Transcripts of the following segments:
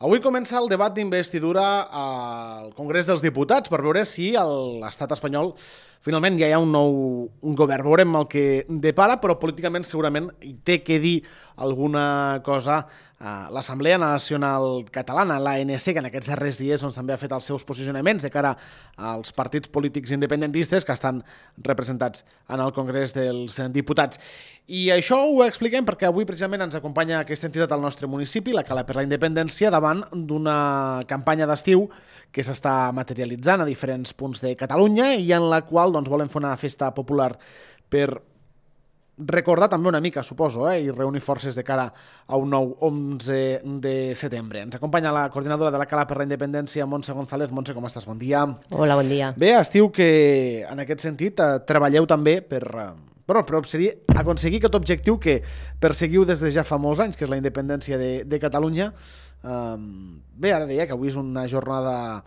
Avui comença el debat d'investidura al Congrés dels Diputats per veure si a l'estat espanyol finalment ja hi ha un govern. Veurem el que depara, però políticament segurament hi té que dir alguna cosa l'Assemblea Nacional Catalana, l'ANC, que en aquests darrers dies també ha fet els seus posicionaments de cara als partits polítics independentistes que estan representats en el Congrés dels Diputats. I això ho expliquem perquè avui precisament ens acompanya aquesta entitat al nostre municipi, la Cala per la Independència, davant d'una campanya d'estiu que s'està materialitzant a diferents punts de Catalunya i en la qual volen fer una festa popular per recordar també una mica, suposo, i reunir forces de cara a un nou 11 de setembre. Ens acompanya la coordinadora de la Cala per la Independència, Montse González. Montse, com estàs? Bon dia. Hola, bon dia. Bé, estiu que en aquest sentit treballeu també per aconseguir aquest objectiu que perseguiu des de ja fa molts anys, que és la independència de Catalunya. Bé, ara deia que avui és una jornada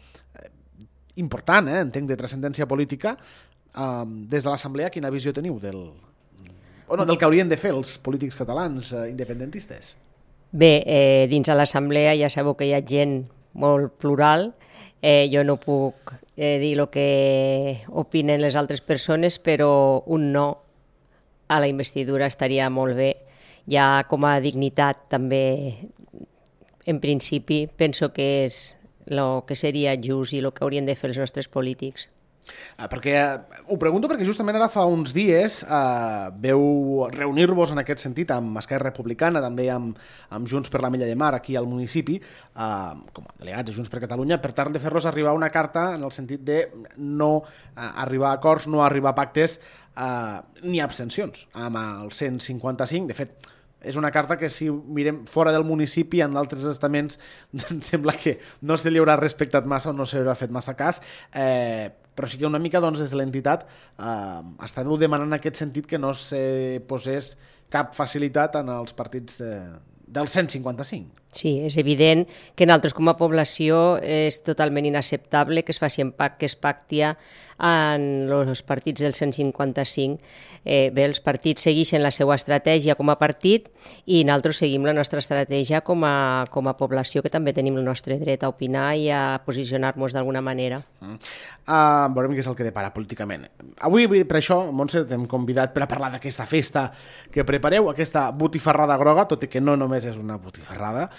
important, entenc, de transcendència política. Des de l'Assemblea, quina visió teniu del que haurien de fer els polítics catalans independentistes? Bé, dins de l'Assemblea ja sabeu que hi ha gent molt plural. Jo no puc dir el que opinen les altres persones, però un no a la investidura estaria molt bé. Ja com a dignitat també, en principi, penso que és el que seria just i el que haurien de fer els nostres polítics. Ho pregunto perquè justament ara fa uns dies veu reunir-vos en aquest sentit amb Esquerra Republicana, també amb Junts per la Mella de Mar aquí al municipi, com a delegats de Junts per Catalunya, per tal de fer-los arribar una carta en el sentit de no arribar a acords, no arribar a pactes ni abstencions amb el 155. De fet, és una carta que si mirem fora del municipi, en d'altres estaments, sembla que no se li haurà respectat massa o no se li haurà fet massa cas, però sí que una mica des de l'entitat estàveu demanant en aquest sentit que no se posés cap facilitat en els partits del 155. Sí, és evident que nosaltres com a població és totalment inacceptable que es faci que es pacti en els partits del 155. Bé, els partits segueixen la seva estratègia com a partit i nosaltres seguim la nostra estratègia com a població, que també tenim el nostre dret a opinar i a posicionar-nos d'alguna manera. Veurem què és el que depara políticament. Avui, per això, Montse, t'hem convidat per a parlar d'aquesta festa que prepareu, aquesta botifarrada groga, tot i que no només és una botifarrada,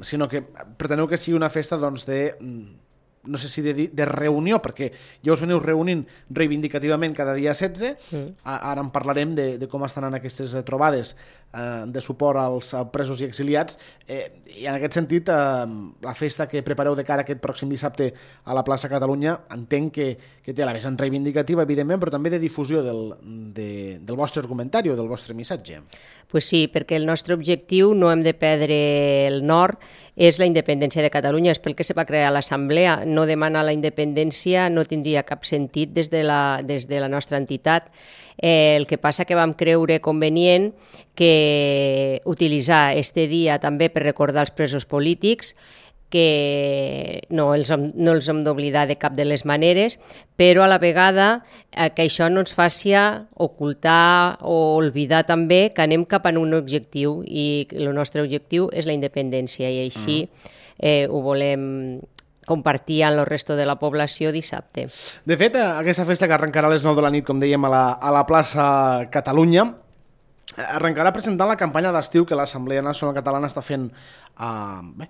sinó que preteneu que sigui una festa no sé si de reunió, perquè ja us veniu reunint reivindicativament cada dia 16. Ara en parlarem de com estan en aquestes trobades de suport als presos i exiliats, i en aquest sentit la festa que prepareu de cara aquest pròxim dissabte a la plaça Catalunya entenc que té la vessant reivindicativa, evidentment, però també de difusió del vostre argumentari o del vostre missatge. Pues sí, perquè el nostre objectiu, no hem de perdre el nord, és la independència de Catalunya. És pel que se va crear l'Assemblea. No demanar la independència no tindria cap sentit des de la nostra entitat. El que passa que vam creure convenient que utilitzar este dia també per recordar els presos polítics, que no els hem d'oblidar de cap de les maneres, però a la vegada que això no ens faci ocultar o oblidar també que anem cap a un objectiu, i el nostre objectiu és la independència, i així ho volem compartir amb el resto de la població dissabte. De fet, aquesta festa que arrencarà a les 9 de la nit, com dèiem, a la plaça Catalunya, arrencarà presentant la campanya d'estiu que l'Assemblea Nacional Catalana està fent en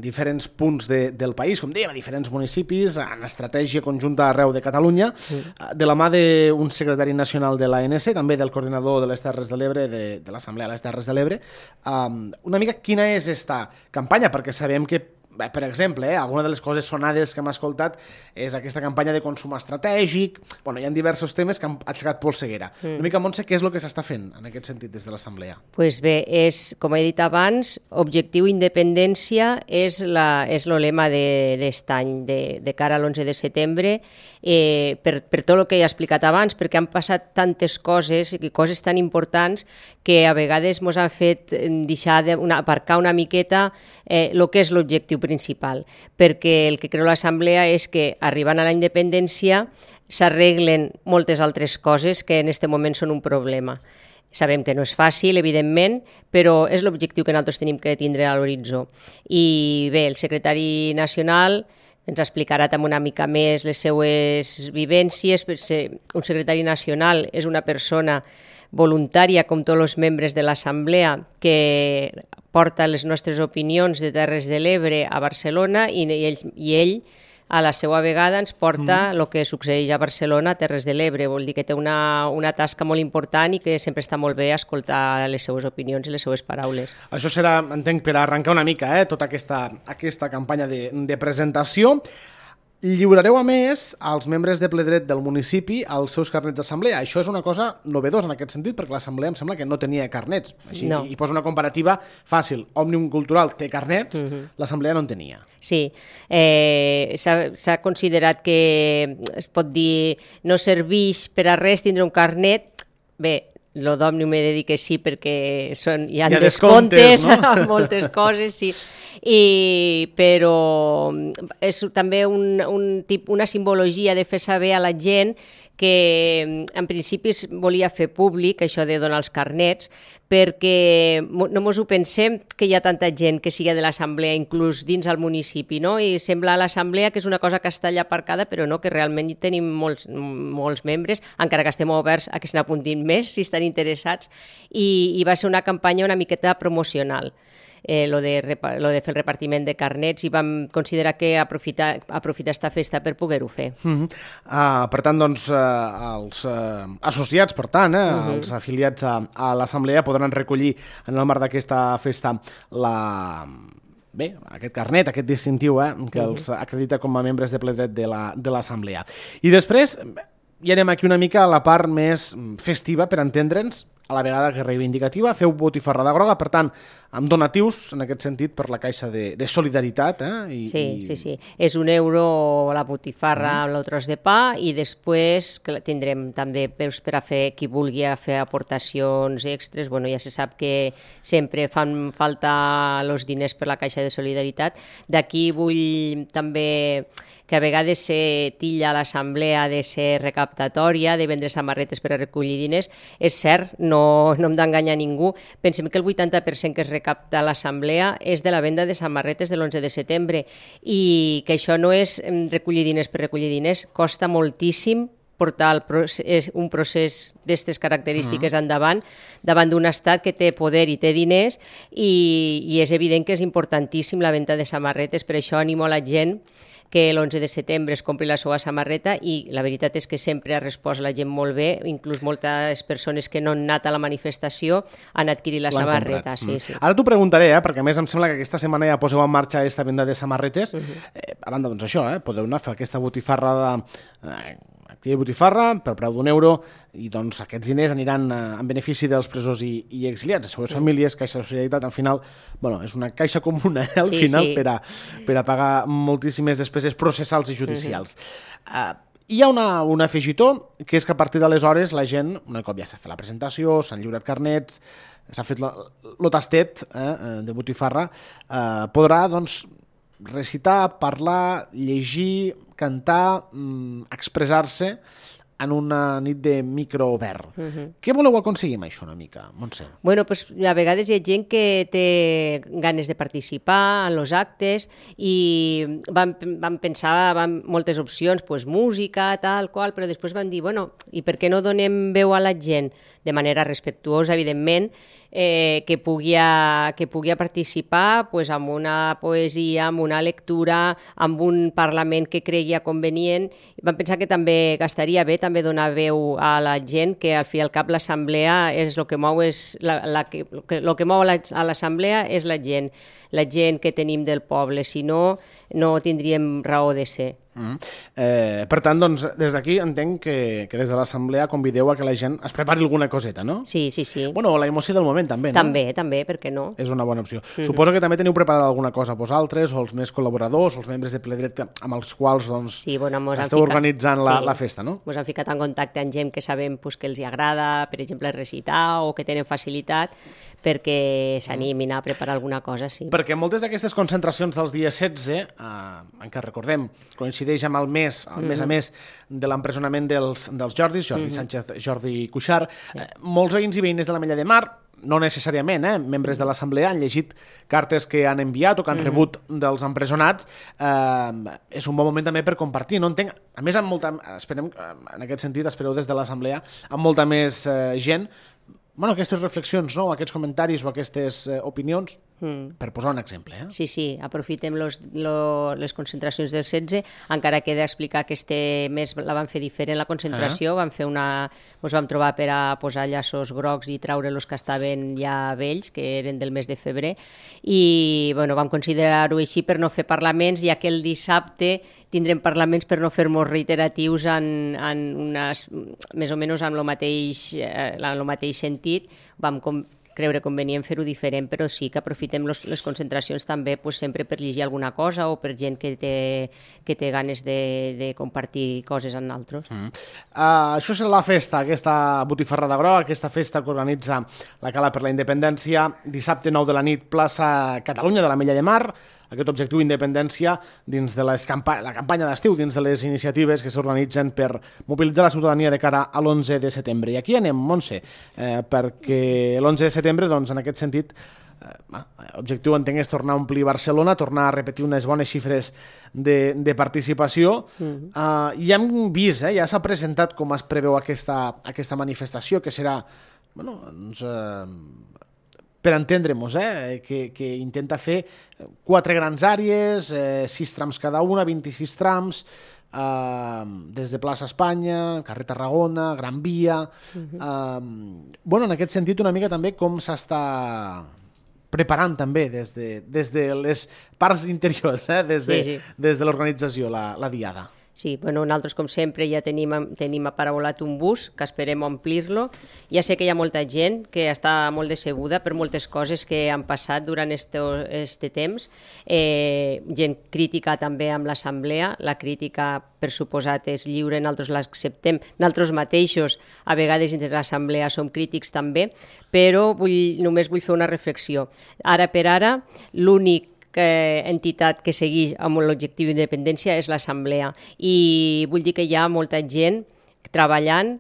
diferents punts del país, com dèiem, a diferents municipis, en estratègia conjunta arreu de Catalunya, de la mà d'un secretari nacional de l'ANC, també del coordinador de les Terres de l'Ebre, de l'Assemblea de les Terres de l'Ebre. Una mica quina és aquesta campanya, perquè sabem que, per exemple, alguna de les coses sonades que hem escoltat és aquesta campanya de consum estratègic. Hi ha diversos temes que han aixecat polseguera. Una mica, Montse, què és el que s'està fent en aquest sentit des de l'Assemblea? Pues bé, com he dit abans, objectiu independència és el lema d'est any, de cara a l'11 de setembre, per tot el que he explicat abans, perquè han passat tantes coses i coses tan importants que a vegades ens han fet deixar aparcar una miqueta el que és l'objectiu principal, perquè el que creu l'Assemblea és que arribant a la independència s'arreglen moltes altres coses que en aquest moment són un problema. Sabem que no és fàcil, evidentment, però és l'objectiu que nosaltres tenim que tindre a l'horitzó. I bé, el secretari nacional ens explicarà també una mica més les seues vivències. Un secretari nacional és una persona voluntària, com tots els membres de l'Assemblea, que porta les nostres opinions de Terres de l'Ebre a Barcelona i ell a la seva vegada ens porta el que succeeix a Barcelona, a Terres de l'Ebre. Vol dir que té una tasca molt important i que sempre està molt bé escoltar les seues opinions i les seues paraules. Això serà, entenc, per arrencar una mica tota aquesta campanya de presentació. Lliurareu, a més, als membres de ple dret del municipi els seus carnets d'assemblea. Això és una cosa novedosa en aquest sentit, perquè l'assemblea em sembla que no tenia carnets. Així, no. I posa una comparativa fàcil. Òmnium Cultural té carnets, l'assemblea no en tenia. Sí, s'ha considerat que es pot dir no serveix per a res tindre un carnet. Bé, lo d'Òmnium he de dir que sí, perquè hi ha descomptes, no? Moltes coses, sí. Però és també una simbologia de fer saber a la gent que en principi es volia fer públic això de donar els carnets, perquè no mos ho pensem que hi ha tanta gent que siga de l'assemblea, inclús dins el municipi, no? I sembla a l'assemblea que és una cosa que està allà aparcada, però no, que realment hi tenim molts membres, encara que estem oberts a que se n'apuntin més, si estan interessats, i va ser una campanya una miqueta promocional. Lo de fer el repartiment de carnets, i vam considerar que aprofitar esta festa per poder-ho fer. Per tant, doncs, els associats, per tant, els afiliats a l'Assemblea podran recollir en el marc d'aquesta festa aquest carnet, aquest distintiu que els acredita com a membres de ple dret de l'Assemblea. I després ja anem aquí una mica a la part més festiva, per entendre'ns, a la vegada que reivindicativa. Feu botifarrada groga, per tant, amb donatius, en aquest sentit, per la Caixa de Solidaritat. Sí. És €1 la botifarra amb el tros de pa, i després tindrem també per a fer, qui vulgui fer aportacions extres. Bueno, ja se sap que sempre fan falta els diners per la Caixa de Solidaritat. D'aquí vull també que a vegades se tilla l'assemblea de ser recaptatòria, de vendre samarretes per a recollir diners. És cert, no hem d'enganyar ningú. Pensem que el 80% que es recapta a l'assemblea és de la venda de samarretes de l'11 de setembre, i que això no és recollir diners per recollir diners, costa moltíssim portar un procés d'aquestes característiques davant d'un estat que té poder i té diners, i és evident que és importantíssim la venda de samarretes. Per això animo a la gent que l'11 de setembre es compri la seva samarreta, i la veritat és que sempre ha respost la gent molt bé, inclús moltes persones que no han anat a la manifestació han adquirit la samarreta. Sí. Ara t'ho preguntaré, perquè a més em sembla que aquesta setmana ja poseu en marxa aquesta venda de samarretes. A banda, doncs això, podeu anar a fer aquesta botifarra activitat botifarra per preu €1, i doncs aquests diners aniran en benefici dels presos i exiliats, les seues famílies. Caixa de Solidaritat, al final, és una caixa comuna, al final, per a pagar moltíssimes despeses processals i judicials. Hi ha un afegitó, que és que a partir d'aleshores la gent, un cop ja s'ha fet la presentació, s'han lliurat carnets, s'ha fet el tastet de botifarra, podrà, doncs, recitar, parlar, llegir, cantar, expressar-se en una nit de micro obert. Què voleu aconseguir amb això una mica, Montse? Bueno, pues a vegades hi ha gent que té ganes de participar en els actes, i vam pensar moltes opcions, pues música, tal qual, però després vam dir, bueno, i per què no donem veu a la gent de manera respectuosa, evidentment, que pugui participar pues, amb una poesia, amb una lectura, amb un parlament que creia convenient. Vam pensar que també estaria bé també donar veu a la gent, que al fi i al cap l'assemblea és el que mou, el que mou a l'assemblea és la gent que tenim del poble, si no, no tindríem raó de ser. Per tant, doncs, des d'aquí entenc que des de l'assemblea convideu a que la gent es prepari alguna coseta, no? Sí. Bueno, la emoció del moment també, no? També, per què no? És una bona opció. Suposo que també teniu preparada alguna cosa vosaltres, o els més col·laboradors, o els membres de ple dret amb els quals esteu organitzant la festa, no? Ens han ficat en contacte amb gent que sabem que els agrada, per exemple, recitar, o que tenen facilitat, perquè s'animin a preparar alguna cosa, sí. Perquè moltes d'aquestes concentracions dels dies 16, encara recordem, coincidint coincideix amb el mes, a més de l'empresonament dels Jordis, Jordi Sánchez, Jordi Cuixart. Molts veïns i veïnes de l'Ametlla de Mar, no necessàriament, membres de l'Assemblea, han llegit cartes que han enviat o que han rebut dels empresonats. És un bon moment també per compartir, no entenc. A més, esperem, en aquest sentit, espereu des de l'Assemblea, amb molta més gent, aquestes reflexions, no? Aquests comentaris o aquestes opinions, per posar un exemple. Sí, aprofitem les concentracions del 16, encara que he d'explicar que este mes la van fer diferent la concentració, ens vam trobar per a posar llaços grocs i traure els que estaven ja vells, que eren del mes de febrer, i vam considerar-ho així per no fer parlaments, ja que el dissabte tindrem parlaments per no fer-nos reiteratius més o menys amb el mateix sentit. Vam creure convenient fer-ho diferent, però sí que aprofitem les concentracions també sempre per llegir alguna cosa o per gent que té ganes de compartir coses amb altres. Això serà la festa, aquesta botifarrada groga, aquesta festa que organitza la Cala per la Independència, dissabte 9 de la nit, plaça Catalunya de l'Ametlla de Mar. Aquest objectiu d'independència dins de la campanya d'estiu, dins de les iniciatives que s'organitzen per mobilitzar la ciutadania de cara a l'11 de setembre. I aquí anem, Montse, perquè l'11 de setembre, doncs, en aquest sentit, l'objectiu, entenc, és tornar a omplir Barcelona, tornar a repetir unes bones xifres de participació. I hem vist, ja s'ha presentat com es preveu aquesta manifestació, que serà, per entendre-nos, que intenta fer 4 grans àrees, 6 trams cada una, 26 trams, des de plaça Espanya, carrer Tarragona, Gran Via. En aquest sentit, una mica també com s'està preparant també des de les parts interiors, des de l'organització, la diada. Sí, nosaltres, com sempre, ja tenim aparaulat un bus, que esperem omplir-lo. Ja sé que hi ha molta gent que està molt decebuda per moltes coses que han passat durant este temps. Gent crítica també amb l'Assemblea. La crítica, per suposat, és lliure, nosaltres l'acceptem. Nosaltres mateixos, a vegades, dins de l'Assemblea, som crítics també, però només vull fer una reflexió. Ara per ara, l'únic entitat que segueix amb l'objectiu d'independència és l'Assemblea, i vull dir que hi ha molta gent treballant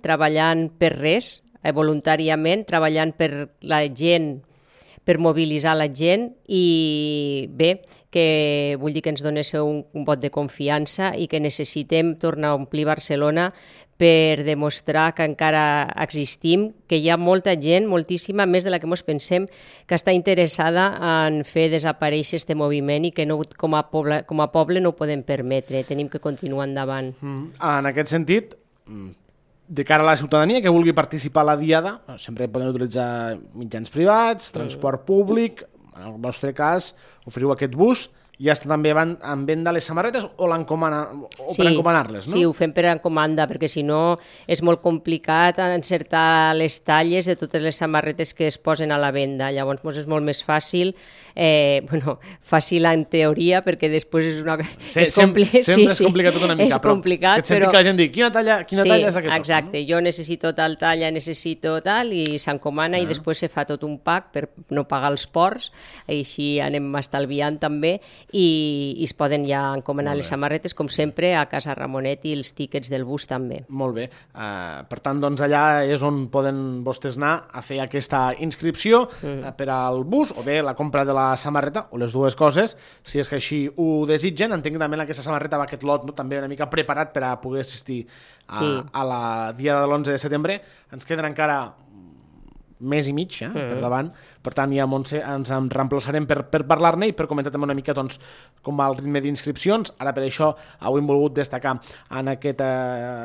per res, voluntàriament, treballant per la gent, per mobilitzar la gent, i bé, que vull dir que ens donéssiu un vot de confiança i que necessitem tornar a omplir Barcelona per demostrar que encara existim, que hi ha molta gent, moltíssima, més de la que ens pensem, que està interessada en fer desaparèixer aquest moviment i que no, com a poble no ho podem permetre, tenim que continuar endavant. En aquest sentit, de cara a la ciutadania que vulgui participar a la diada, sempre poden utilitzar mitjans privats, transport públic, en el vostre cas oferiu aquest bus. Ja està també en venda les samarretes o per encomanar-les, no? Sí, ho fem per encomanda, perquè si no és molt complicat encertar les talles de totes les samarretes que es posen a la venda. Llavors és molt més fàcil, fàcil en teoria, perquè després és una... Sempre és complicat tot una mica, però et sentit que la gent diu, quina talla és aquest? Exacte, jo necessito tal talla, necessito tal, i s'encomana i després se fa tot un pack per no pagar els ports, així anem estalviant també, i es poden ja encomanar les samarretes, com sempre, a Casa Ramonet, i els tíquets del bus també. Molt bé. Per tant, doncs allà és on poden vostès anar a fer aquesta inscripció per al bus, o bé la compra de la samarreta, o les dues coses, si és que així ho desitgen. Entenc que també aquesta samarreta va aquest lot també una mica preparat per a poder assistir a la dia de l'11 de setembre. Ens queden encara mes i mig per davant, per tant ja Montse ens en reemplaçarem per parlar-ne i per comentar també una mica com va el ritme d'inscripcions. Ara per això avui hem volgut destacar en aquest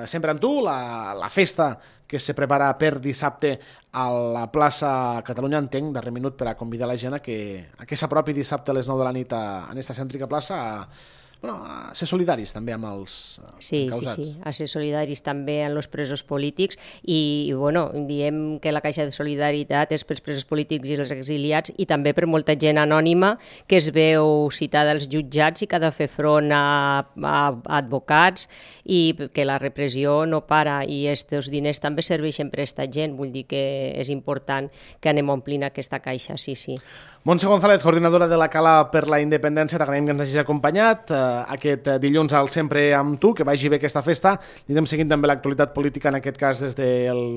Sempre amb tu, la festa que se prepara per dissabte a la plaça Catalunya, entenc, darrer minut per a convidar la gent a que s'apropi dissabte a les 9 de la nit en aquesta cèntrica plaça a ser solidaris també amb els encausats. Sí, a ser solidaris també amb els presos polítics i diem que la Caixa de Solidaritat és pels presos polítics i els exiliats i també per molta gent anònima que es veu citada als jutjats i que ha de fer front a advocats i que la repressió no para i aquests diners també serveixen per a aquesta gent. Vull dir que és important que anem omplint aquesta caixa, sí. Montse González, coordinadora de la Cala per la Independència, t'agraïm que ens hagis acompanyat aquest dilluns al Sempre amb tu, que vagi bé aquesta festa. Anirem seguint també l'actualitat política, en aquest cas des de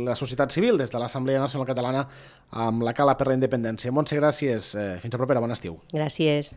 la societat civil, des de l'Assemblea Nacional Catalana, amb la Cala per la Independència. Montse, gràcies. Fins a propera, bon estiu. Gràcies.